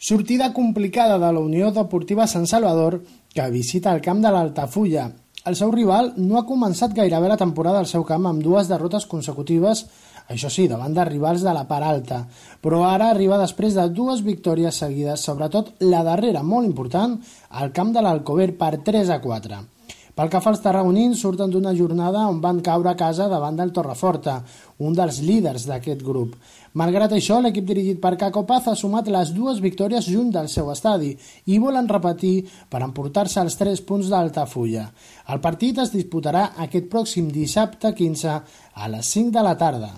Sortida complicada de la Unió Deportiva Sant Salvador, que visita el camp de l'Altafulla. El seu rival no ha començat gairebé la temporada al seu camp amb dues derrotes consecutives, això sí, davant de rivals de la part alta, però ara arriba després de dues victòries seguides, sobretot la darrera, molt important, al camp de l'Alcover per 3-4. Pel que fa als tarragonins, surten d'una jornada on van caure a casa davant del Torreforta, un dels líders d'aquest grup. Malgrat això, l'equip dirigit per Caco Paz ha sumat les dues victòries junt del seu estadi i volen repetir per emportar-se els 3 punts d'Altafulla. El partit es disputarà aquest pròxim dissabte 15 a les 5 de la tarda.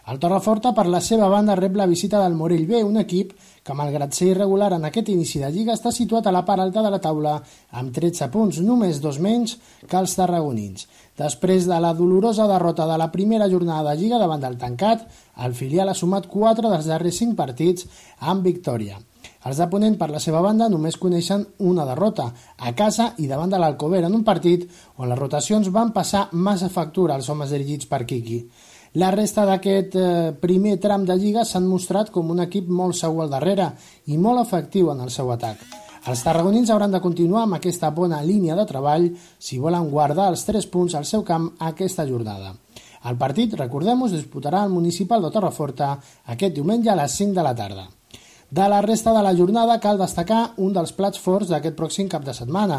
El Torreforta, per la seva banda, rep la visita del Morell B, un equip que, malgrat ser irregular en aquest inici de lliga, està situat a la part alta de la taula amb 13 punts, només 2 menys que els tarragonins. Després de la dolorosa derrota de la primera jornada de lliga davant del Tancat, el filial ha sumat 4 dels darrers 5 partits amb victòria. Els de Ponent, per la seva banda, només coneixen una derrota, a casa i davant de l'Alcover, en un partit on les rotacions van passar massa factura als homes dirigits per Quiqui. La resta d'aquest primer tram de lliga s'han mostrat com un equip molt segur al darrere i molt efectiu en el seu atac. Els tarragonins hauran de continuar amb aquesta bona línia de treball si volen guardar els 3 punts al seu camp aquesta jornada. El partit, recordem-ho, es disputarà al Municipal de Torreforta aquest diumenge a les 5 de la tarda. De la resta de la jornada cal destacar un dels plats forts d'aquest pròxim cap de setmana.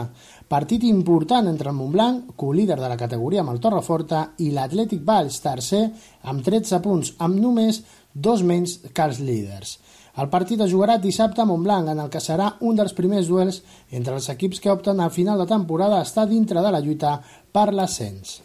Partit important entre el Montblanc, co-líder de la categoria amb el Torreforta, i l'Atlètic Valls, tercer, amb 13 punts, amb només 2 menys que els líders. El partit es jugarà dissabte a Montblanc, en el que serà un dels primers duels entre els equips que opten a final de temporada a estar dintre de la lluita per l'ascens.